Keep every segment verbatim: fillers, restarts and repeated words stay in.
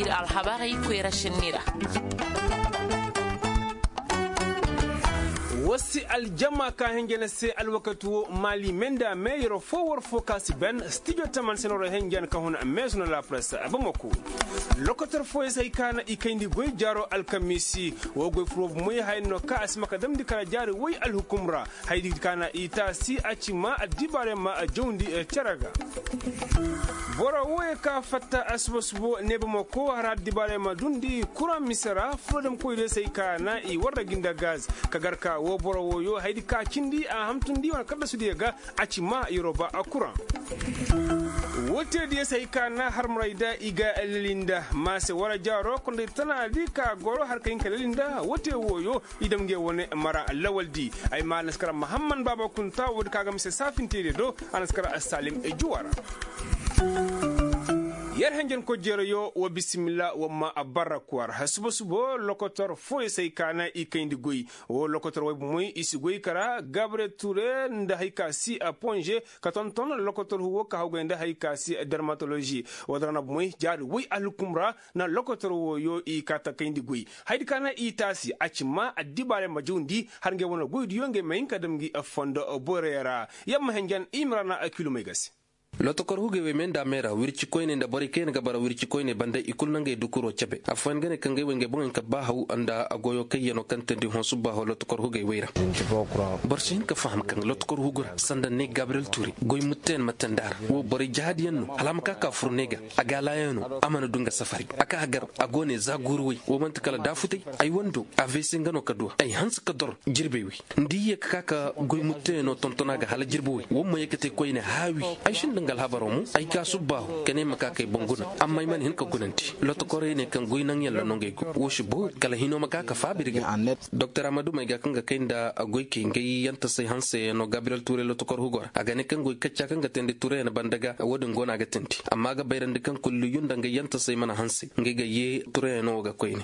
Ir alhabarey koyra sinni ra. Wasi aljama ka hinja na se alwakati wo maali menda me yero fo war fo ka si ben stijo taman senoro hinja na ka huna meesu na lapresa bamako. Lokotor fo ya se hay ka na i kayndi goy jaaro alkamiisi. Wo goy furo bumey haya no ka a si ma ka damndi kara jaari woy alhukum ra. Haydi ka na i taasi a ci ma addibaarey ma jawndi cere ga. Boro wooyo ka fatta asuba subo ne bamako hara addibaarey ma dundi kuraŋ mise ra furodem koydiyo se hay ka na i warra gi nda gaz. Ka gar ka woo boro wooyo haydi ka cindi a hamtundi wane kaddasudiyo ga. A ci ma yoroba a kuraŋ. Woo teediyo se hay ka na harmarey da i ga leli nda maase wara jaaro kondey tanaadi ka goro har ka hin ka leli nda woo tee wooyo. I dam ngey wane mara lawaldi. Ay ma a na si kara mahamman baaba kunta woodi ka ga mise saafinteede do. A na si kara salim juwa ra. Yer henjen kojjeerayo wa bisimilla wa ma a barra kwar suba subo lokotor fooyo se ay ka na i kayndi goy. Woo lokotor way bomoy i si goy kara gabre ture nda hay ka si a ponze ka tonton lokotor hugo ka hawgay nda hay ka si dermatolozi. Woo dara na bomoy jaari way alhukum ra. Na lokotor wooyo i kaa ta kayndi goy. Haydi ka na i taasi a ci ma addibaarey ma jawndi har ngey wane goydiyo ngey ma hin ka dam ngi fondo borey ra. Yamma henjen i ma ra na kilomey ga se. Lotokor hugey wey me nda a me ra wirci koyney nda borey kaŋ yaŋ ga bara wirci koyney banda i kulu na ngey dukuro cabe afooyaŋ ga ne kaŋ ngey wey ngey boŋey ka ba haw nda goyo kaŋ yaŋ no kaŋ teendi hõ subbaaho lotokor hugey wey ra. Boro si hin ka faham kaŋ lotokor hugu ra sanda ne gabriyel tuure goy mutteyaŋ ma teendi a ra wo borey jahaadiyaŋ no hala a ma ka ka fur ne ga. A ga a laaya no a mana du nga safari a ka a gar a go ne za guuru way wo man'ti kala daafutay. Ay wando a veese nga no ka duwa ay hanse ka dor jirbey way. Nda i ye ka ka ka goy mutteyaŋo tonton a ga hala jirbi way wo ma ye ka te koyne haawi. Ay sinda nga alhabaro mo ay ka subbaahu ka ne ay ma ka kay boŋ guna amma ay mana hin ka gunandi lotokorey ne kaŋ goy naŋyaŋ ra no ngey go wo si boori kala hino ma ka ka faaba ir ga. Doktor amadumey ga kaŋ ga kay nda goykey ngey yantasey hanseyaŋo gabriyel tuuray lotokor hugo ra a ga ne kaŋ goy kacca kaŋ ga teendi tuurayaŋ banda ga wo-din go no a ga teendi amma a ga bayrandi kaŋ kulliyu nda ngey yantasey mana hanse ngey ga yee tuurayaŋo wo ga koyne.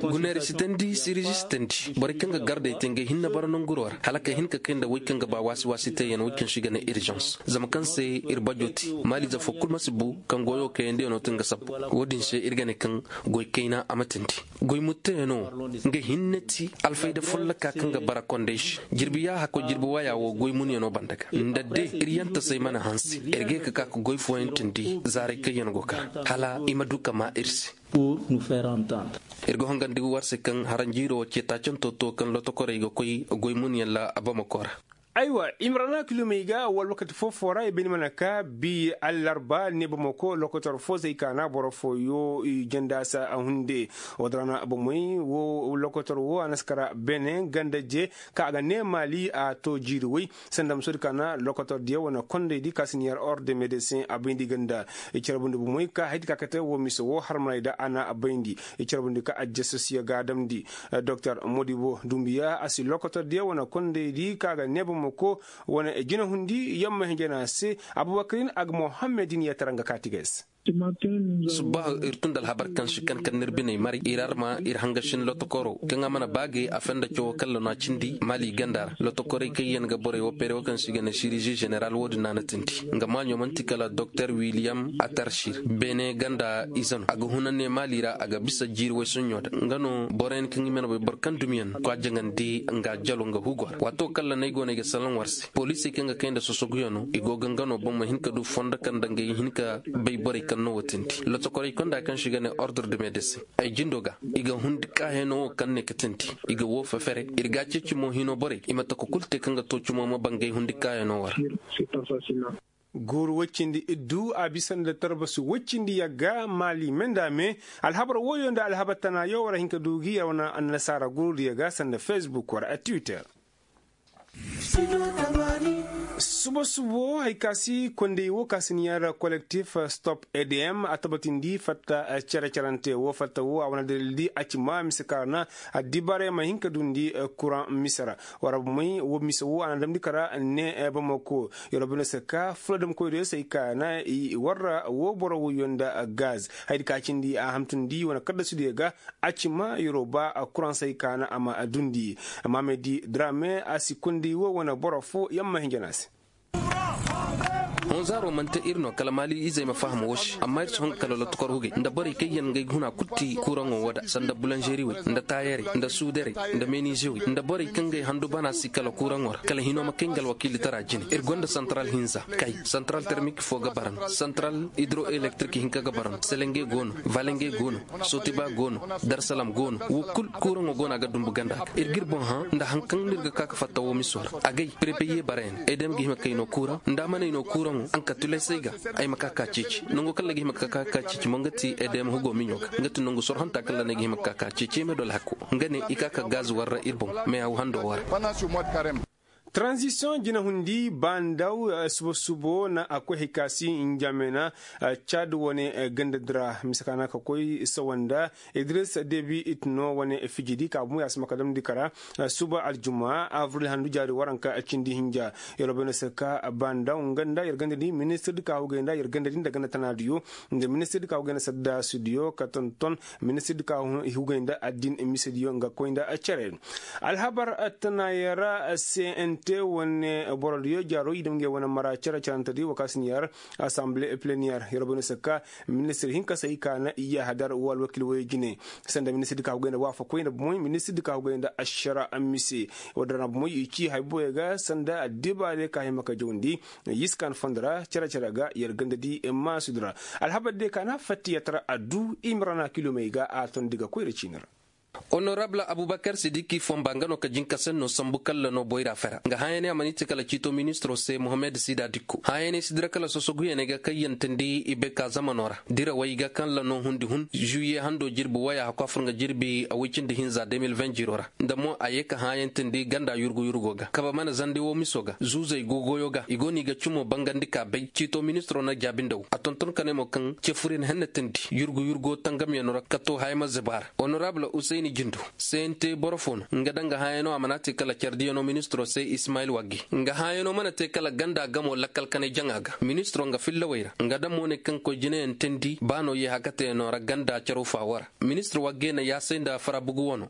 Guneeri si teendi sirizi si teendi borey kaŋ ga gardey te ngey hinne bara nanguro ra hala ka hin ka kay nda woy kaŋ ga ba waasi waasi teeyaŋ woy kaŋ se i ga ne irizans zama kaŋ se ir bajo te maaliize foo kul ma si bu kaŋ goyo kayandi yaŋo te nga sabbu. Wo-din se ir ga ne kaŋ goy kayna a ma teendi goy mutteyaŋo wo nga hinne ti alfayda folloka kaŋ ga bara kondey se jirbi yaaha koy jirbi waya wo goy munyaŋo banda ga nda de ir yantasey mana hanse ir ga ye ka ka ka goy fooyaŋ teendi zaaray kaŋ yaŋ go kar hala i ma du ka maa ir se. Ir ga hongandi war se kaŋ haranjiiro wo ce taacanto to kaŋ lotokorey ga koy goy munyaŋ ra bamako ra. Aywa i ma ra na kilomey ga wala wakati foo-foo ra i bay ni mana ka bi allarba ne bamako lokotor foo zey ka na boro fooyo i janda se a hunde. Woo da ra na bomey wo lokotor wo a na si kara bene ganda je ka a ga ne maali a to jiiri woy sanda ma soodi ka na lokotor diya wane kondey di ka si ni yar orde medesin a bayndi ganda. I carbundi bomey ka haydi ka kate wo mise wo harmaney da a na a bayndi. I carbundi ka ajjasasiya ga a damndi. Doktor modibo dumbiya a si lokotor diya wane kondey di ka ga neeba moko wane jinahundi yamma hinjana se. Abubakarin a ga mohammedin yatara nga kaati ga ay se. Subbaahu ir tun nda alhabar kaŋ si kan kaŋ n'ir biney maray ir arma ir hangasin lotokoro kaŋ a mana baagay a fenda cawo kalla no a cindi maali ganda ra lotokorey kaŋ yaŋ ga borey wo pere wo kaŋ se i ga ne sirizi zeneral wo-din no a na tindi. Nga maaɲo man'ti kala doktor wiliyam atarsir beene ganda ize no a ga huna ne maali ra a ga bisa jiiri woy soɲɲo da nga no boroyaŋ kaŋ i mana bay boro kaŋ dumiyaŋ no ka jaŋandi nga jalo nga hugo ra waato kalla no ay go no ay ga salaŋ war se poliisey kaŋ ga kay nda sosoguyaŋo i go ga nga no boŋ ma hin ka du fondo kaŋ nda ngey hin ka bay borey kaŋ no wo tindi lotokorey konda kaŋ se i ga ne ordre de medesin ay jindo ga i ga hundi kaayaŋo wo kaŋ ne ka tindi i ga woo fefere ir ga a ceeci mo hino borey i ma taka kulu te kaŋ ga too cumo ma bangay hundi kaayaŋo wo ra. Guuru woy cindi iddu a bisa nda tarbasu woy cindi yagga maali me nda a me. Alhabar wooyo nda alhabar tanaayo war a hin ka du gi yer wane annasaara guurudiyo ga sanda fesbuk war a twitter. Suba subo hari ka si kondey wo ka si ni yar kolektif stop edm a tabatindi fatta cere-cerante wo fatta wo a wane dalildi a ci ma mise ka ra na addibaarey ma hin ka dundi kuraŋ mise ra. War a bomey wo mise wo a na damndi ka ra ne bamako. Yer wo bine se ka fuladamkoydiyo se ay ka na i warra wo boro woyyo nda gaz hayadi ka cindi a hamtundi wane kaddasudiyo ga. A ci ma yer wo ba kuraŋ se ay ka na a ma dundi. Maamedi drame a si kondey wo wane boro fo yamma hinja no a se. Honzaaro man te ir no kala maali izey ma faham wo se amma ir si hun ga kala lotokor hugey nda borey kaŋ yaŋ ga ay ga huna kul ti kuuraŋo wo da sanda bulanzeri wey, nda taayarey, nda suudarey, nda menize wey nda borey kaŋ ga ay handu bana si kala kuuraŋo ra kala hino ma kay nga alwakiilitara jine. Ir gonda santaral hinza, kay santaral termik fo ga bara no, santaral hidro-elektrik hinka ga bara no, selenge go no, valenge go no, sotiba go no, darsalam go no. Wo kul kuuraŋo go no a ga dumbu ganda ga ir ga ir boŋ hã nda haŋ kaŋ no ir ga ka ga fatta wo miso ra. Agay prepeye bara yaŋ edem ga hima kay no kuuraŋ nda a mana ay no kuuraŋo ankatulesey ga. Ay ma ka ka ceeci nango kaŋ ra ga hima ka ka ka ceeci mo nga ti edem hugo miɲo ga nga ti nangu sorhonta kaŋ ra no ay ga hima ka ka ceeci ay ma dole hakko. Nga ne i ka ka gaz warra ir boŋ mais a hando warra. Taranzisiyoŋ jinahundi ba ndaw suba subo na a koy hay ka si njamena cad wane ganda dira mise ka na ka koy sawanda. Idris debi it no wane fijidi ka bumo ya si ma ka damndi kara suba aljuma avril handu jaari waranka cindi hinja. Yer bay no se ka ba ndaw nga nda yer ganda di ministir di ka hugay nda yer ganda di nda ganda tana diyo nda ministir di ka hugay nda sadda sudiyo ka tonton ministir di ka hugay nda addin mise diyo nga koy nda cere. Alhabar tana yara cnt wane boro diyo jaro i dam ngey wane mara cere cerante di wakasin yar assemble plenière yer bay no se ka ministir hinka se i ka na i yahadar wa alwakil wayo jine. Sanda ministir di ka hugay nda wafa koy nda bomoy ministir di ka hugay nda ashara mise. Wadda ra bomoy i ci hay boyo ga sanda addiba de ka hima ka jawndi. Yiskan fondora cere cere ga yer ganda di maasudura. Alhabar de ka na fatti yatara addu imrana kilomey ga a ton diga koyra cinira. Honorable abubakar sidiki fomba nga no ka jinka senno sambu kalla no boyra fera nga hãyaney a maniti kala ciito ministiro se mohammed sida dikko hãyaney sidira kala sosoguyaney ga kayyantandi i bay ka zamano ra. Dirawey ga kalla no hundi hun juye hando jirbi waya hakwa fur nga jirbi a woy cindi hinza deux mille vingt jiro ra. Nda mo a ye ka hãyantandi ganda yurgu yurgo ga kaba mana zandi wo miso ga zuuzey gogoyo ga i go no i ga cumo bangandi ka bay ciito ministiro na jaabi nda wo a tonton ka ne mo kaŋ cefuryan hennatandi yurgu yurgo tangamyano ra ka to haya ma zaba ra. Honorable usayni jindo sente boro fo no nga danga hãyano a mana te kala cardiyano ministiro se ismayil wagge nga hãyano mana te kala ganda gamo lakkal kanay jaŋa ga ministiro nga fillawey ra nga damo ne kaŋ koy jinayaŋ teendi ba no ye hakateyano ra ganda caro faawo ra. Ministir wagge na yaasay nda farabugu wano.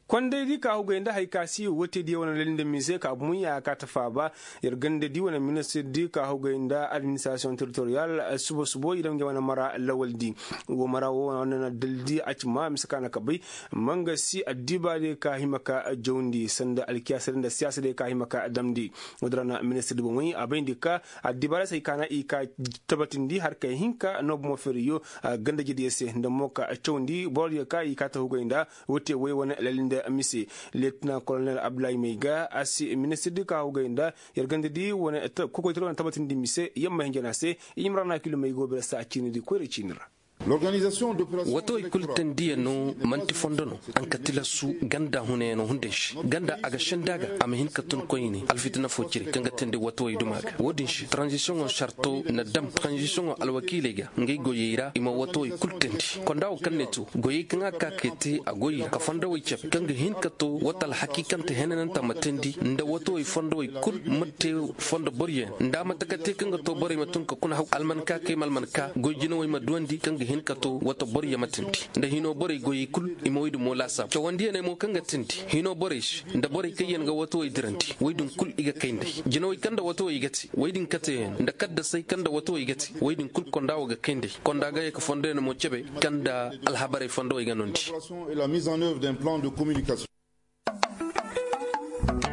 Kondey di ka hugay nda hay ka si wote di wane lali nda mise ka bumu ya ka ta faaba. Yer ganda di wane ministir di ka hugay nda administration territorial subo subo i dam nge wane mara lawal di. Wo mara wo wane na daldi a ci ma mise ka na ka bay. Manga si addiba de ka hima ka jawndi sanda alkiyasa de nda siyasa de ka hima ka damndi. Wo dira na ministir di bomey a bayndi ka addiba de se hay ka na i ka tabatindi har kay hinka no bomo feriyo. Ganda jediyo se nda mo ka cawndi boro diyo ka i ka ta hugay nda. Wote way wane lali nda mise. Lieutenant colonel abdulahi may ga a si ministir di ka hugay nda yer ganda di wane kokoytara wane tabatindi mise yamma hinjana se. Imrana kilo may go bere sa ciini di koyra ciini ra. Watawey kul tendiyaŋo man'ti fondo no. Ankatilasu ganda hunayano hunday se ganda a ga senda ga a ma hin ka tun koyne alfitina fo cire kaŋ ga tendi watawey duma ga wo-din se taranzisiyoŋo sarto na dam taranzisiyoŋo alwakiiley ga ngey goyey ra i ma watawey kul tendi. Konda wo kaŋ ne to goyey kaŋ a ka kay te a goy ra ka fondowey cabe kaŋ ga hin ka to wata alhakiikante henananta ma tendi nda watawey fondowey kul ma te fondo boroyaŋ nda a ma taka te kaŋ ga to borey ma tun ka kuna haw almanka kay ma almanka goy jinawey ma duwandi kaŋ ga hin ka to wata boroyaŋ ma tindi. Nda hino borey goyey kul i ma woy dumo laasaabu cawandiyaney mo kaŋ ga tindi hino borey se nda borey kaŋ yaŋ ga watawey dirandi woy din kul i ga kay nd'ey jinawey kaŋ nda watawey i ga te woy din kateyaŋ nda kaddasey kaŋ nda watawey i ga te woy din kul konda wo ga kay nd'ey konda ga ye ka fondoyaŋ mo cebe kaŋ nda alhabarey fondowey ga noondi.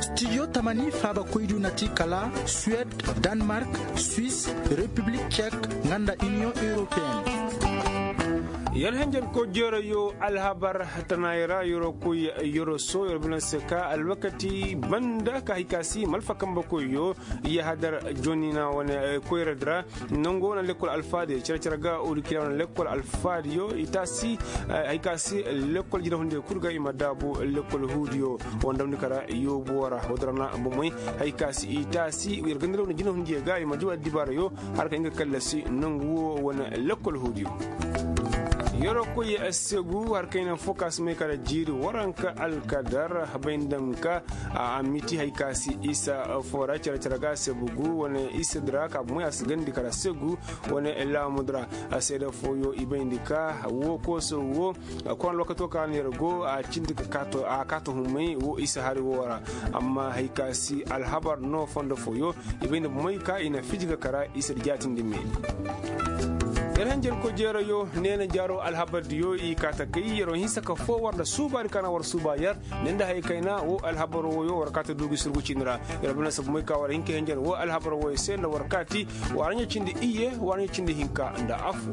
Studio tamani faaba koydu na ti kala suwed, danemark, suisse, repiblik cek, nga nda iniyoŋ europeen. Yer henjen ko jeerayo alhabar tanaayi ra yeroo koy yeroo soo yeroo bine se ka alwakati banda ka hay ka si malfa kambe koyyo. Yahadar jonina wane koyra dira. Nango wane lekkol alfaadiyo cere cere ga urikila wane lekkol alfaadiyo i taasi. Hay ka si lekkol jinahundiyo kul ga i ma daabu lekkol huudiyo. Wondamni kara yoobuwo ra wodorana bomey. Hay ka si i taasi yer gandira wane jinahundiyo ga i ma jawa dibaarayo. Har ka nga kallasi nangu wo wane lekkol huudiyo. Yeroo koy segu har kayna fo ka si may kala jiiri waranka alkadar bay nda nga ka a miti hay ka si isa fo ra care care ga sebu gu wane isa dira ka bumo ya si gandi kala segu wane laamud ra. Seeda fooyo i bayndi ka wo kooso wo koran lokato ka neera go a cindi ka kaato a kaato humay wo isa hari wo ra. Amma hay ka si alhabar no fondo fooyo i bay nda bumey ka i na fiji ka kara isa da jaatindi me. Yer hanjar kojeerayo neena jaaro alhabardiyo i kaa ta kay yeroo hinsa ka foo war nda suubaari ka na war suuba yer ne nda hay kayna wo alhabar woyo war kaa ta duugi surgu cindi ra. Yer bana sabu may ka war hin ka hanjar wo alhabar woyo se nda war kaati. War ɲa cindi iyye war ɲa cindi hinka nda afo.